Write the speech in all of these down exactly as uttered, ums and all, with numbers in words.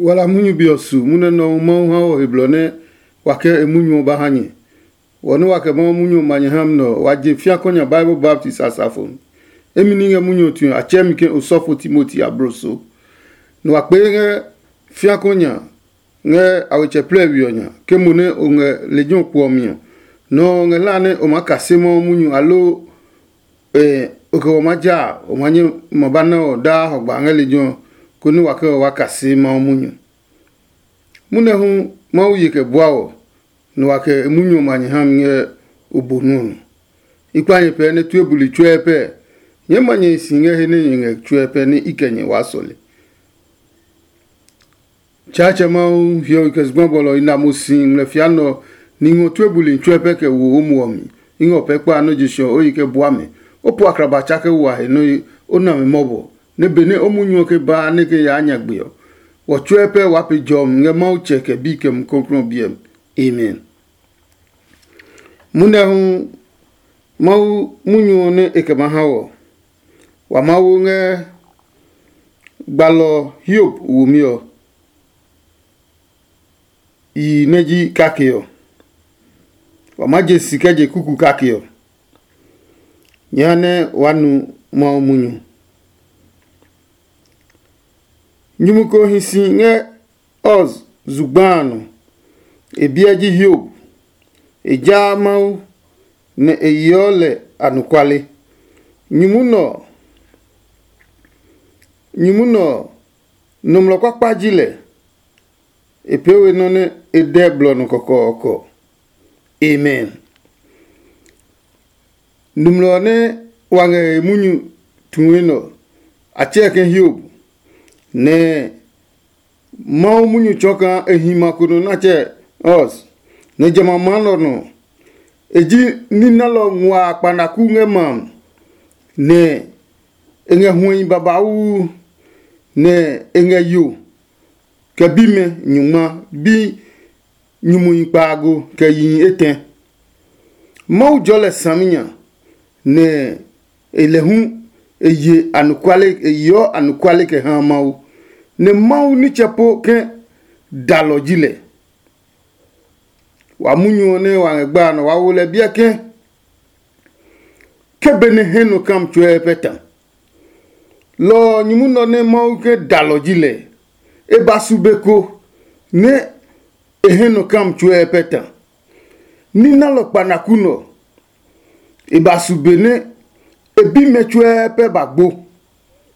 Wala munyu be ɔ su munyu nɛ Mawu ha wɔ he blɔ nɛ wa kɛ e munyu ɔ ba ha nyɛ. Wɔ nɛ wa kɛ Mawu munyu ɔ ma nyɛ ha mi nɛ ɔ, wa je fiakɔ nya Bible baptist asafo mi. Emi ní ngɛ munyu ɔ tue ɔ, a tsɛɛ mi ke osɔfo Timoti abloso. Nɛ wa kpee ngɛ fiakɔ nya ngɛ a wetsɛ plɛ we ɔ nya, ke mo nɛ o ngɛ lejɛ ɔ kpo ɔ mi ɔ, nɔ ɔ ngɛ hlaa nɛ o maa kase Mawu munyu aloo o kɛ wɔ maa ja a, o ma nyɛ ma ba na ɔ daa hɔgba ngɛ lejɛ ɔ, konɛ wa kɛ wa kase Mawu munyu. Munɛ hu Mawu ye kɛ bua wɔ, nɛ wa kɛ e munyu ɔ ma nyɛ ha mi ngɛ o bo nɔ́ ɔ nɔ. I kpa nyɛ pɛɛ nɛ tue buli tsuɛ pɛ. Nyɛɛ ma nyɛ hi si ngɛ he nɛ nyɛ ngɛ tsuɛ pɛ nɛ i kɛ nyɛ waa sɔle. Tsaatsɛ Mawu hiɔwe kɛ zugba bɔlɔ i na mo si ngmlɛfia nɛ ɔ, ni ngɔ tue buli tsuɛ pɛ kɛ wo o muɔ mi. I ngɛ o pɛ kpa nɔ́ je sɔ o yi kɛ bua mɛ. O po akraba tsa kɛ wa he nɔ́ o na mɛ mɔbɔ, nɛ benɛ o munyu ɔ ke baa nɛ ke yaa nyagbe ɔ, wɔ tsuɛ pɛ waa pe jɔmi ngɛ Mawu Tsɛ kɛ Bi kɛ Mumi Klɔuklɔu ɔ biɛ mi. Amen. Munɛ hu Mawu munyu ɔ nɛ e kɛ ma ha wɔ. Wa Mawu ngɛ gbalɔ Hiob womi ɔ yi nɛ ji kake ɔ. Wa maa je si kɛ je kuku kake ɔ. Nyɛ ha nɛ waa nu Mawu munyu. Nyumu ko hi si ngɛ Uz zugba a nɔ. E biɛ ji Hiob. E jaa Mawu, nɛ e yeɔ lɛ anɔkuale. Nyumu nɛ ɔ, nyumu nɛ ɔ, nɔmlɔ kpakpa ji lɛ. E pee we nɔ́ nɛ e dɛ blɔ nɔ kɔkɔɔkɔ. Amen. Nɔmlɔ ɔ nɛ wa ngɛ he munyu tue nɛ ɔ, a tsɛɛ ke Hiob, nɛ Mawu munyu tsɔɔ kaa e hi ma ko nɔ nɛ a tsɛɛ Uz, nɛ jamɛ a maa nɔ nɔ. E ji ní nalɔ nguaa kpanaku ngɛ ma a, nɛ e ngɛ huɛhi babauu, nɛ e ngɛ yo kɛ bimɛ nyungma, bi nyumuhi kpaago kɛ yihi etɛ. Mawu jɔɔ lɛ saminya, nɛ e lɛ hu e ye anɔkuale, e yeɔ anɔkuale kɛ ha Mawu, nɛ Mawu nitsɛ po ke dalɔ ji lɛ. Wa munyu ɔ nɛ wa ngɛ gba a nɔ wa wo lɛ biɛ ke, ke benɛ hɛ nɔ kam tsuɛ pɛ ta. Lɔ ɔ nyumu nɔ nɛ Mawu ke dalɔ ji lɛ, e ba su be ko nɛ e hɛ nɔ kam tsuɛ pɛ ta. Ní nalɔ kpanaku nɔ, e ba su be nɛ e bimɛ tsuɛ pɛ ba gbo.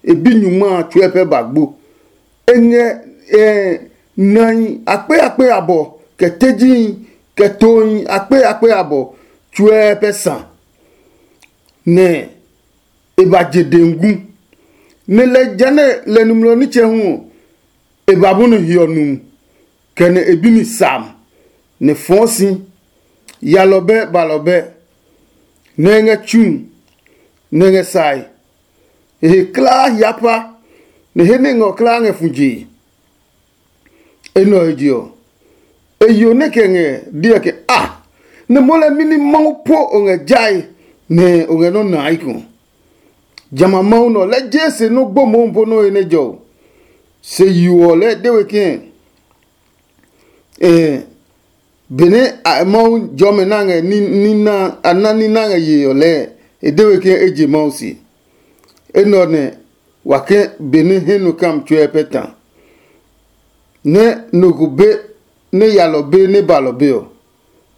E bi nyungma a tsuɛ pɛ ba gbo. E ngɛ eh, nahi akpe akpe abɔ, kɛ tejihi, kɛ tohi akpe akpe abɔ tsuɛ pɛ sa, nɛ e ba je dengu. Nɛ lɛ jehanɛ lɛ nɔmlɔ nitsɛ hu ɔ, e ba bɔni hiɔ nu, kɛ nɛ e bi mi sam, nɛ fɔɔ si, yalɔbɛ balɔbɛ, nɛ e ngɛ tsu, nɛ e ngɛ sae. E he klaa hia pa, nɛ he nɛ ngɔ klaa ngɛ fu jee. Enɛ ɔ he je ɔ, e yo nɛ kɛ ngɛ diɛ ke a, nɛ mo lɛ mini Mawu po o ngɛ jae, nɛ o ngɛ nɔ́ nae iko. Jamɛ a Mawu nɛ ɔ, lɛ jee se nɔ́ gbo mohu po nɔ́ he nɛ jɔ o. Se yo ɔ lɛɛ de we kɛ̃, eh, benɛ a Mawu jɔmɛ na ngɛ ní ní na a na ní na ngɛ yee ɔ lɛɛ, e de we ke e je Mawu se. Enɛ ɔ nɛ wa ke benɛ hɛ nɔ kam tsuɛ pɛ ta, nɛ nɔ ko be nɛ yalɔ be nɛ balɔ be ɔ,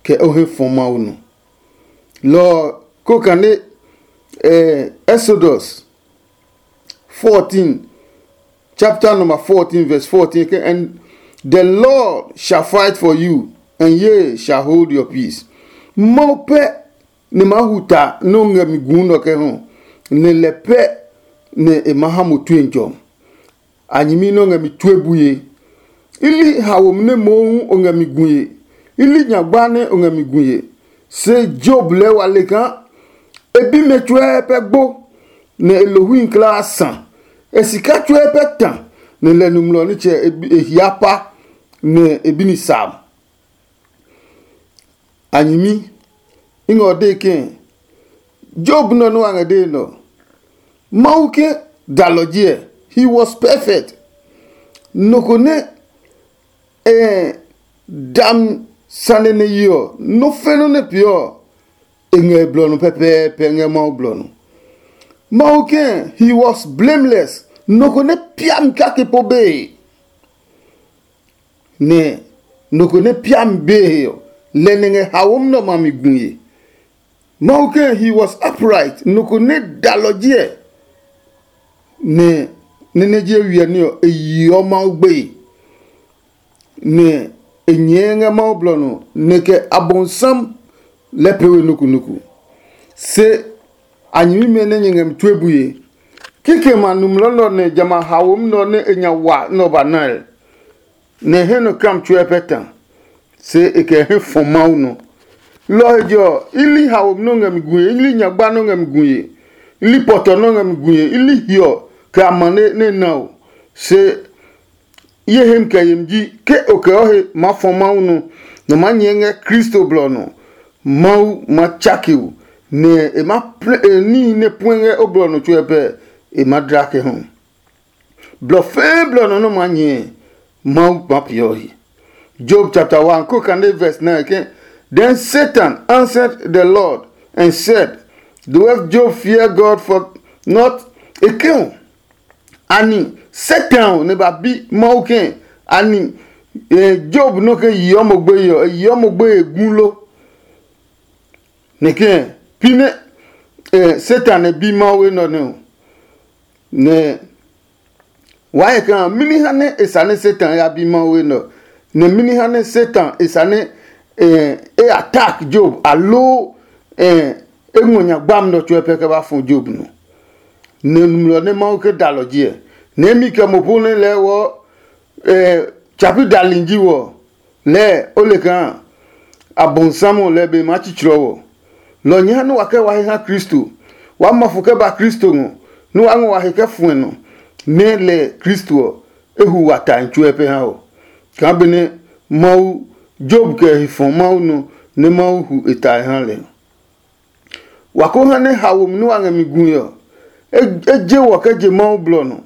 kɛ o he fɔ Mawu nɔ. Lɔ ɔ, ko kane eh, Exodus fourteen, chapter number fourteen, verse fourteen, ke, "And the Lord shall fight for you, and ye shall hold your peace." Mawu pɛ nɛ ma hu ta nɛ o ngɛ mi gu nɔ kɛ hɔ, nɛ lɛ pɛ nɛ e ma ha mo tue jɔ. A nyɛmi nɛ o ngɛ mi tue bue. I li haomi nɛ mohu o ngɛ mi gue. I li nyagba nɛ o ngɛ mi gue. Se Job lɛɛ wa le kaa e bimɛ tsuɛ pɛ gbo, nɛ e lohii kulaa sa. E sika tsuɛ pɛ ta, nɛ lɛ nɔmlɔ nitsɛ e hia pa, nɛ e bi ni sam. A nyɛmi, i ngɛ o dee ke Job nɔ nɛ wa ngɛ dee nɛ ɔ, Mawu ke dalɔ ji ɛ, he was perfect. Nɔ ko nɛ eh, dam sane nɛ yi ɔ, nɔ́ fɛ́ nɔ́ nɛ pee ɔ, e ngɛ e blɔ nɔ pɛpɛɛpɛ ngɛ Mawu blɔ nɔ. Mawu kɛ̃, he was blameless, nɔ ko nɛ piami kake po bee. Nɛ nɔ ko nɛ piami bee he ɔ, lɛ nɛ ngɛ hawom nɛ ɔmɛ a mi gue. Mawu kɛ̃, he was upright, nɔ ko nɛ da lɔ jiɛ, nɛ nɛ nɛ je wiɛ ní ɔ, e yeɔ Mawu gbeye. Nɛ e nyɛɛ ngɛ Mawu blɔ nɔ, nɛ kɛ Abɔndsam lɛ pee we nukunuku. Se a nyɛmimɛ nɛ nyɛ ngɛ mi tue bue, kikɛmɛ a numlɔ nɛ ɔ nɛ jamɛ a hawom nɛ ɔ nɛ e nya wa nɛ ɔ ba nae, nɛ e hɛ nɔ kam tsuɛ pɛ ta, se e kɛ hɛ fɔ Mawu nɔ. Lɔ ɔ he je ɔ, i li hawom nɔ́ ngɛ mi gue, i li nyagba nɔ́ ngɛ mi gue, i li pɔtɔ nɔ́ ngɛ mi gue, i li hiɔ kɛ amane nɛ na o. Se ye hem kɛ yemi ji, ke o kɛ o he maa fɔ Mawu nɔ, nɛ o maa nyɛɛ ngɛ Kristo blɔ ɔ nɔ. Mawu ma tsake o, nɛ e ma plɛ e níhi nɛ puɛ ngɛ o blɔ ɔ nɔ tsuɛ pɛ, e ma dla kɛ hu. Blɔ fɛɛ blɔ nɔ nɛ o maa nyɛɛ, Mawu ma peeɔ he. Job chapter one, ko kane verse nine ke, then Satan answered the Lord and said, do have Job fear God for not? E ke o, ani Satan ɔ nɛ ba bi Mawu ke, ani eh, Job nɔ ke yeɔ mo gbeye ɔ, e yeɔ mo gbeye gu lo? Nɛ ke pi nɛ eh, Satan e bi Mawu enɛ ɔ nɛ ɔ, nɛ waa he kaa mɛni ha nɛ e sane Satan ya bi Mawu enɛ ɔ, nɛ mɛni ha nɛ Satan e sane e attack Job, aloo e ngɔ nya gbami nɛ ɔ tsuɛ pɛ kɛ ba fɔ Job nɔ. Nɛ nulɔ nɛ Mawu ke da lɔ ji ɛ, nɛ imi kɛ mo po nɛ lɛɛ wɔ tsapi dali ji wɔ, lɛɛ o le kaa Abɔndsam ɔ lɛ be maa tsitsrɔ wɔ. Lɔ nya nɛ wa kɛ wa he ha Kristo, waa ma fo kɛ ba Kristo ngɔ, nɛ waa ngɔ wa he kɛ fuɛ nɔ, nɛ lɛ Kristo ɔ e hu wa tae tsuɛ pɛ ha ɔ, kaa benɛ Mawu Job kɛ he fɔ Mawu nɔ nɛ Mawu hu e tae ha lɛ. Wa ko ha nɛ haomi nɛ wa ngɛ mi gui ɔ, e je wɔ kɛ je Mawu blɔ nɔ.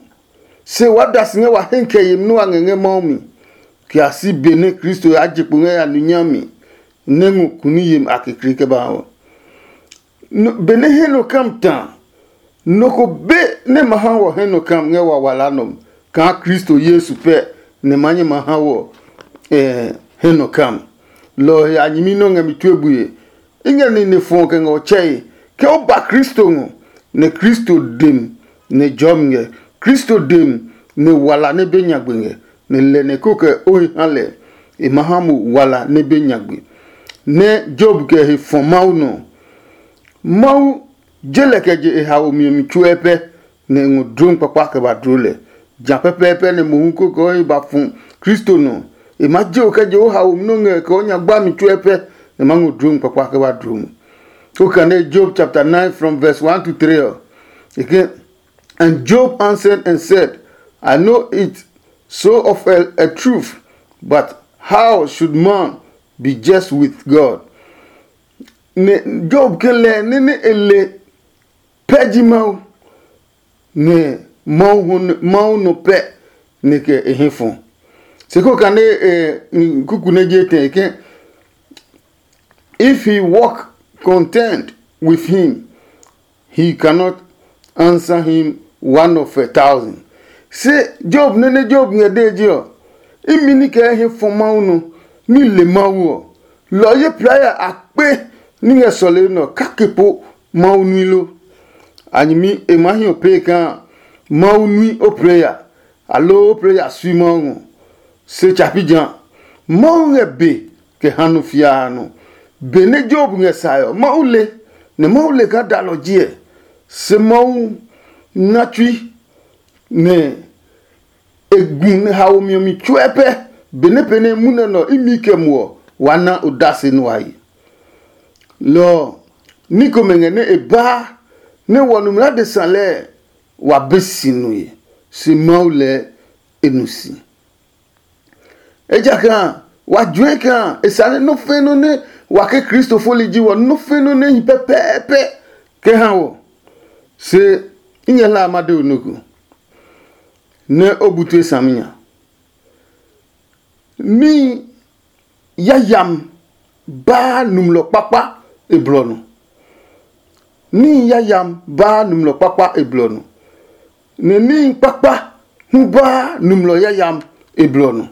Se waa da si ngɛ wa hɛ kɛ yemi nɛ wa ngɛ ngɛ Mawu mi, kɛ ya si be nɛ Kristo ya je kpo ngɛ ya nu nyami nɛ ngɔ kuni yemi a kekle kɛ ba ha ɔ. Benɛ hɛ nɔ kam ta, nɔ ko be nɛ ma ha wɔ hɛ nɔ kam ngɛ wawala nɔ kaa Kristo Yesu pɛ nɛ ma nyɛ ma ha wɔ hɛ nɔ kam. Lɔ ɔ he a nyɛmi nɛ ɔ ngɛ mi tue bue. I ngɛ nine fɔ kɛ ngɛ ɔ tsɛe ke o ba Kristo ngɔ, nɛ Kristo dem nɛ jɔmi ngɛ. Kristo dem nɛ wala nɛ be nyagbe ngɛ, nɛ lɛ nɛ ko kɛ o he ha lɛ, e ma ha mo wala nɛ be nyagbe. Nɛ Job kɛ he fɔ Mawu nɔ. Mawu je lɛ kɛ je e haomi ɔ mi tsuɛ pɛ, nɛ e ngɔ dlom kpakpa kɛ ba dloo lɛ. Ja pɛpɛɛpɛ nɛ mohu ko kɛ o he ba fu Kristo nɔ. E maa je o kɛ je o haomi nɛ o ngɛ kɛ o nya gbami tsuɛ pɛ, nɛ e maa ngɔ dlom kpakpa kɛ ba dloo mo. O kane Job chapter nine from verse one to three ɔ, e ke, and Job answered and said, I know it so of a, a truth, but how should man be just with God? Nɛ Job ke lɛ nɛ nɛ e le pɛ ji Mawu, nɛ Mawu nɔ pɛ nɛ kɛ e hɛ fɔ. Se ko kane kuku nɛ je tɛ ke, if he walk content with him, he cannot answer him one of a thousand. Se Job nɛ nɛ Job ngɛ dee je ɔ, imi ní kɛ hɛ fɔ Mawu nɔ, ní le Mawu ɔ, lɔ ye playa a kpe ní ngɛ sɔlemi nɛ ɔ kake po Mawu nui lo? A nyɛmi e maa hi o pee kaa Mawu nui o playa, aloo o playa sui Mawu ngɔ. Se tsapi ja, Mawu ngɛ be kɛ ha nɔ fiaa nɔ. Benɛ Job ngɛ sae ɔ, Mawu le, nɛ Mawu le kaa dalɔ ji ɛ. Se Mawu na tsui nɛ e gu nɛ haomi ɔ mi tsuɛ pɛ, benɛ pɛnɛ munɛ nɛ ɔ imi kɛ muɔ wa na odase nɛ wa yi. Lɔ ɔ, ní komɛ ngɛ nɛ e baa nɛ wɔ numi adesa lɛɛ wa be si nue, se Mawu lɛɛ e nu si. Ejakaa wa juɛ kaa e sane nɔ́ fɛ̃ nɔ́ nɛ wa ke Kristo foli ji wɔ, nɔ́ fɛ̃ nɔ́ nɛ hi pɛpɛɛpɛ kɛ ha wɔ. Se i ngɛ hla a ma de o nɔ ko, nɛ o bu tue saminya. Níhi yayami baa numlɔ kpakpa e blɔ nɔ. Níhi yayami baa numlɔ kpakpa e blɔ nɔ, nɛ níhi kpakpa hu baa numlɔ yayami e blɔ nɔ.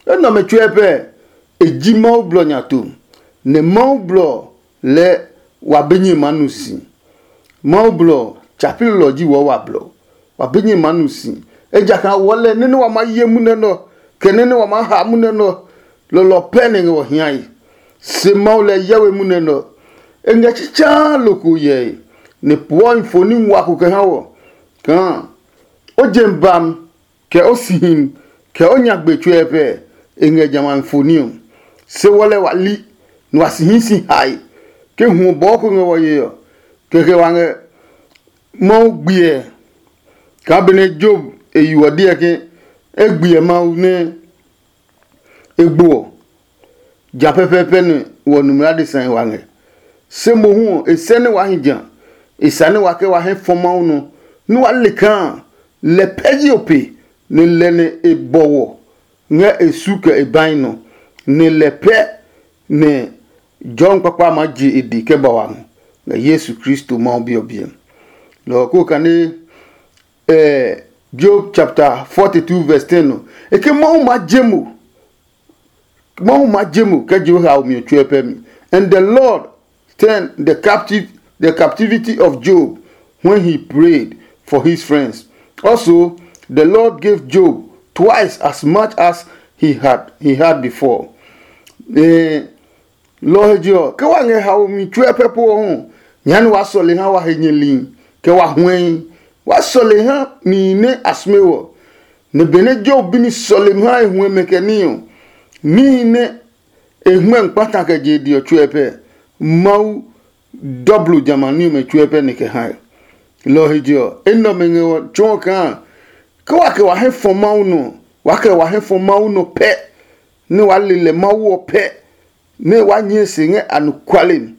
Enɛ ɔmɛ tsuɛ pɛ e ji Mawu blɔ nya to, nɛ Mawu blɔ lɛɛ wa be nyɛ maa nu si. Mawu blɔ tsa pi lelɔ ji wɔ wa blɔ, wa be nyɛ maa nu si. Ejakaa wɔlɛ nɛ nɛ wa maa ye munɛ nɛ ɔ, kɛ nɛ nɛ wa maa ha munɛ nɛ ɔ, lɔlɔ pɛ nɛ ngɛ wɔ hiae. Se Mawu lɛ yɛwe munɛ nɛ ɔ, e ngɛ tsitsaa loko yɛe, nɛ puɔ infoni ngua ko kɛ ha wɔ kaa o je bam kɛ o sihi kɛ o nyagbe tsuɛ pɛ e ngɛ jamɛ a mi foni ɔ. Se wɔ lɛ wa li, nɛ wa si hi si hae ke hu bɔɔ ko ngɛ wɔ ye ɔ. Kɛkɛ wa ngɛ Mawu gbiɛ kaa benɛ Job e yu ɔ diɛ ke e gbiɛ Mawu nɛ e gbo ɔ, ja pɛpɛɛpɛ nɛ wɔ numla adesa wa ngɛ. Se mohu ɔ, e sɛ nɛ waa hi ja, e sa nɛ wa kɛ wa hɛ fɔ Mawu nɔ, nɛ wa le kaa lɛ pɛ ji o pe, nɛ lɛ nɛ e bɔ wɔ ngɛ e su kɛ e bahi nɔ, nɛ lɛ pɛ nɛ jɔmi kpakpa maa je e di kɛ ba wa ngɔ ngɛ Yesu Kristo Mawu Bi ɔ biɛ. Lɔ ɔ ko kane eh, Job chapter forty-two verse ten ɔ, e ke Mawu maa je mo. Mawu maa je mo kɛ je o haomi ɔ tsuɛ pɛ mi. And the Lord turned the captive the captivity of Job when he prayed for his friends. Also, the Lord gave Job twice as much as he had he had before. Eh, lɔ ɔ he je ɔ, ke wa ngɛ haomi tsuɛ pɛ po ɔ hu, nya nɛ waa sɔle ha wa he nyɛli, kɛ wa huɛi. Waa sɔle ha nihi nɛ a sume wɔ. Nɛ benɛ Job bi mi sɔlemi ha e huɛmɛ kɛ ní ɔ, níhi nɛ e hmɛ kpata kɛ je e di ɔ tsuɛ pɛ, Mawu dɔblo jamɛ a ní ɔmɛ tsuɛ pɛ nɛ kɛ hae. Lɔ ɔ he je ɔ, enɛ ɔmɛ ngɛ ɔ tsɔɔ kaa ke wa kɛ wa hɛ fɔ Mawu nɔ, wa kɛ wa hɛ fɔ Mawu nɔ pɛ, nɛ wa le lɛ Mawu ɔ pɛ, nɛ wa nyɛɛ se ngɛ anɔkuale mi,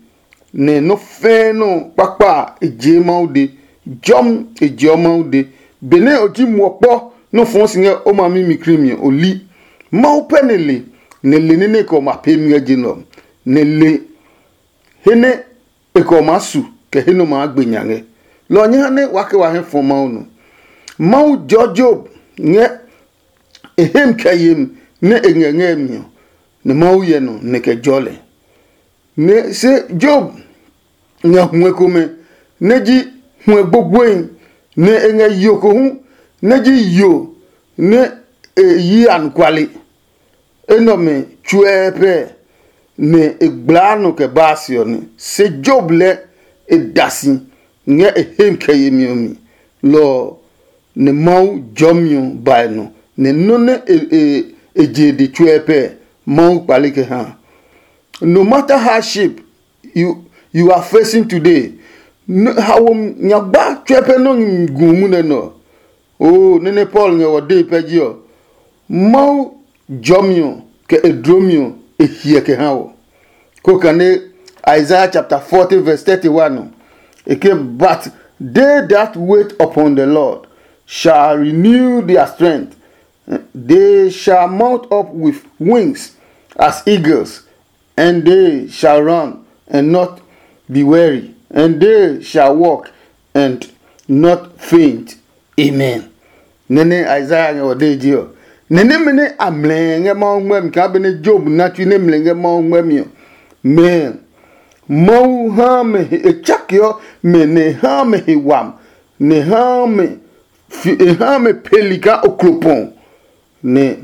nɛ nɔ́ fɛ́ɛ́ nɔ́ kpakpa a e jee Mawu de, jɔmi e jeɔ Mawu de. Benɛ o ji muɔ kpɔ nɔ́ fɔɔ si ngɛ o ma mi mi krimi ɔ, o li. Mawu pɛ nɛ le, nɛ le nɛ nɛ kɛ ɔ ma pee mi ngɛ je nɛ ɔ, nɛ le he nɛ e kɛ ɔ maa su kɛ he nɛ ɔ maa gbe nya ngɛ. Lɔ ɔ nyɛ ha nɛ wa kɛ wa hɛ fɔ Mawu nɔ. Mawu jɔɔ Job ngɛ e hemi kɛ yemi nɛ e ngɛ ngɛ mi ɔ, nɛ Mawu hyɛ nɔ nɛ kɛ jɔɔ lɛ. Nɛ se Job ngɛ huɛ komɛ nɛ ji huɛ gbogboehi, nɛ e ngɛ yo ko hu nɛ ji yo nɛ e yi anɔkuale. Enɛ ɔmɛ tsuɛ pɛ nɛ e gblaa nɔ kɛ baa se ɔ nɛ. Se Job lɛ e da si ngɛ e hemi kɛ yemi ɔ mi. Lɔ ɔ, nɛ Mawu jɔmi ɔ ba e nɔ, nɛ nɔ́ nɛ e e e je e de tsuɛ pɛ Mawu kpale kɛ ha. No matter hardship you you are facing today, hawo nyagba tsuɛ pɛ nɔ gu munɛ nɔ. Oo, nene Paul ngɛ wɔ dee pɛ ji ɔ, Mawu jɔmi ɔ kɛ e dlomi ɔ e hiɛ kɛ ha wɔ. Ko kane Isaiah chapter forty verse thirty-one ɔ, e ke, but they that wait upon the Lord shall renew their strength. They shall mount up with wings as eagles, and they shall run and not be weary, and they shall walk and not faint. Amen. Nene Isaiah ngɛ ɔ de ji ɔ, nene mene a mlɛ ngɛ Mawu ngmɛmi kaa bene Job na tui ne mlɛ ngɛ Mawu ngmɛmi ɔ, mɛ Mawu ha mɛ he e tsakeɔ mɛ nɛ ha mɛ he wam, nɛ ha mɛ fi e ha mɛ peli kaa oklopɔn, nɛ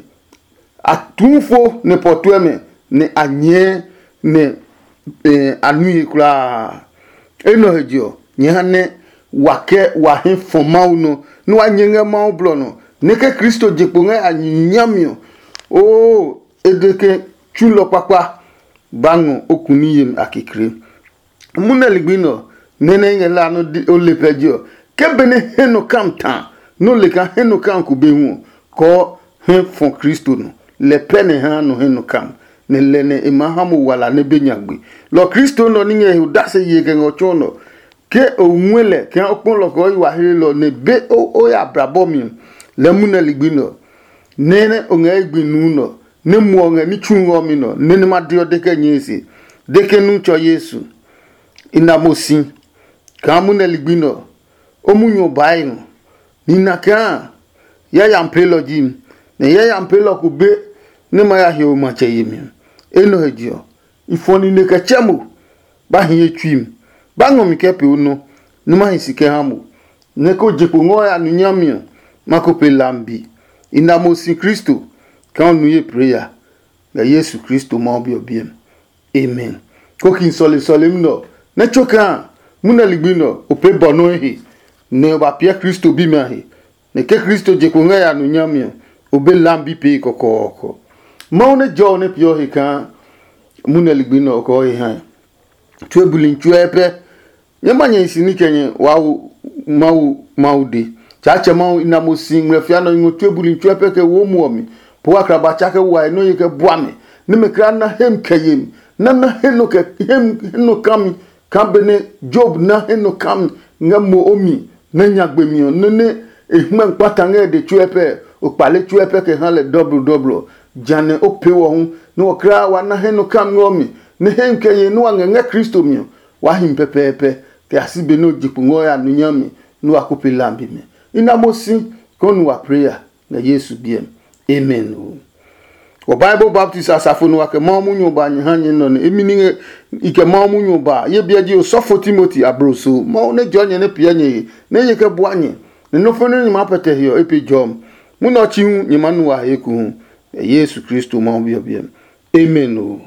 a tuu fo nɛ pɔtuɛ mɛ, nɛ a nyɛɛ nɛ a nui he kulaa. Enɛ ɔ he je ɔ, nyɛ ha nɛ wa kɛ wa hɛ fɔ Mawu nɔ, nɛ wa nyɛ ngɛ Mawu blɔ nɔ, nɛ ke Kristo je kpo ngɛ a nyami ɔ, oo, e de ke tsulɔ kpakpa ba ngɔ o kuni yemi a kekle. Munɛ ligbi nɛ ɔ, nɛ nɛ i ngɛ la nɔ o le pɛ je ɔ, ke benɛ hɛ nɔ kam ta nɔ le kaa hɛ nɔ kam ko be hu ɔ, kɔɔ hɛ fɔ Kristo nɔ. Lɛ pɛ nɛ ha nɔ hɛ nɔ kam, nɛ lɛ nɛ e maa ha mo wala nɛ be nyagbe. Lɔ Kristo nɔ ní ngɛ he odase ye kɛ ngɛ ɔ tsuɔ nɔ. Ke o ngɔɛ lɛ kaa o kpɔ lɔ kɛ o yi wa hlelɔ nɛ be o ya brabɔ mi ɔ, lɛ munɛ ligbi nɛ ɔ, nɛ nɛ o ngɛ ye gbi nuu nɛ ɔ, nɛ muɔ ngɛ ní tsu ɔ mi nɔ, nɛ nɛ ma deɔ de kɛ nyɛe se, de ke nu tsɔ Yesu. I na mo si kaa munɛ ligbi nɛ ɔ, o munyu ɔ baa e ngɔ. Nina kaa yayami peelɔ ji mi, nɛ yayami peelɔ ko be nɛ ma ya hiɔwe matsɛ yemi ɔ. Enɛ he je ɔ, i fɔ nine kɛ tsɛ mo, ba hi ye tsui mi, ba ngɔ mi kɛ pee o nɔ, nɛ ma hi si kɛ ha mo, nɛ ko je kpo ngɔ ya nu nyami ɔ, ma ko pe lambi. I na mo si Kristo kaa o nu ye preya ngɛ Yesu Kristo Mawu Bi ɔ biɛ mi. Amen. Kokin sɔle sɔlemi nɛ ɔ, nɛ tso kaa munɛ ligbi nɛ ɔ, o pee bɔ nɔ́ he, nɛ o ba piɛ Kristo bimɛ a he, nɛ ke Kristo je kpo ngɛ ya nu nyami ɔ, o be lambi pee kɔkɔɔkɔ. Mawu nɛ jɔ ɔ nɛ peeɔ he kaa munɛ ligbi nɛ ɔ kɔɔ he hae. Tue buli tsuɛ pɛ. Nyɛ ma nyɛ hi si ní kɛ nyɛ waa wo Mawu Mawu de. Tsaatsɛ Mawu i na mo si ngmlɛfia nɔ ngɔ tue buli tsuɛ pɛ kɛ wo muɔ mi. Po wa kraba tsa kɛ wa nɔ ye kɛ bua mi. Ní mɛ kra na hem kɛ ye mi. Na na he nɔ kɛ hem he nɔ ka mi. Ka benɛ Job na he nɔ ka mi ngɛ mo o mi nɛ nyagbe mi ɔ, nɛ nɛ e hmɛ kpata ngɛ e de tsuɛ pɛ, o kpale tsuɛ pɛ kɛ ha lɛ dɔblɔ dɔblɔ. Janɛ o pee wɔ hu, nɛ wɔ kra wa na he nɔ ka mi ngɛ o mi, nɛ hem kɛ ye nɛ wa ngɛ ngɛ Kristo mi ɔ, waa hi mi pɛpɛɛpɛ, kɛ ya si be nɛ o je kpo ngɛ o ya nu nyami nɛ wa ko pe lambi mɛ. I na mo si kɛ o nu wa preya ngɛ Yesu biɛ mi. Amen. Wɔ Bible baptist asafo nɛ wa kɛ Mawu munyu ɔ ba nyɛ ha nyɛ nɔ nɛ imi ningɛ i kɛ Mawu munyu ɔ ba ye biɛ ji osɔfo Timoti abloso. Mawu nɛ jɔɔ nyɛ nɛ piɛ nyɛ he nɛ ye kɛ bua nyɛ, nɛ nɔ́ fɛnɛ nyɛ maa pɛtɛ he ɔ e pe jɔmi. Munɛ ɔ chi hu nyɛ maa nu wa he ekohu. Yesu Kristo Mawu Bi ɔ biɛ mi. Amen oo.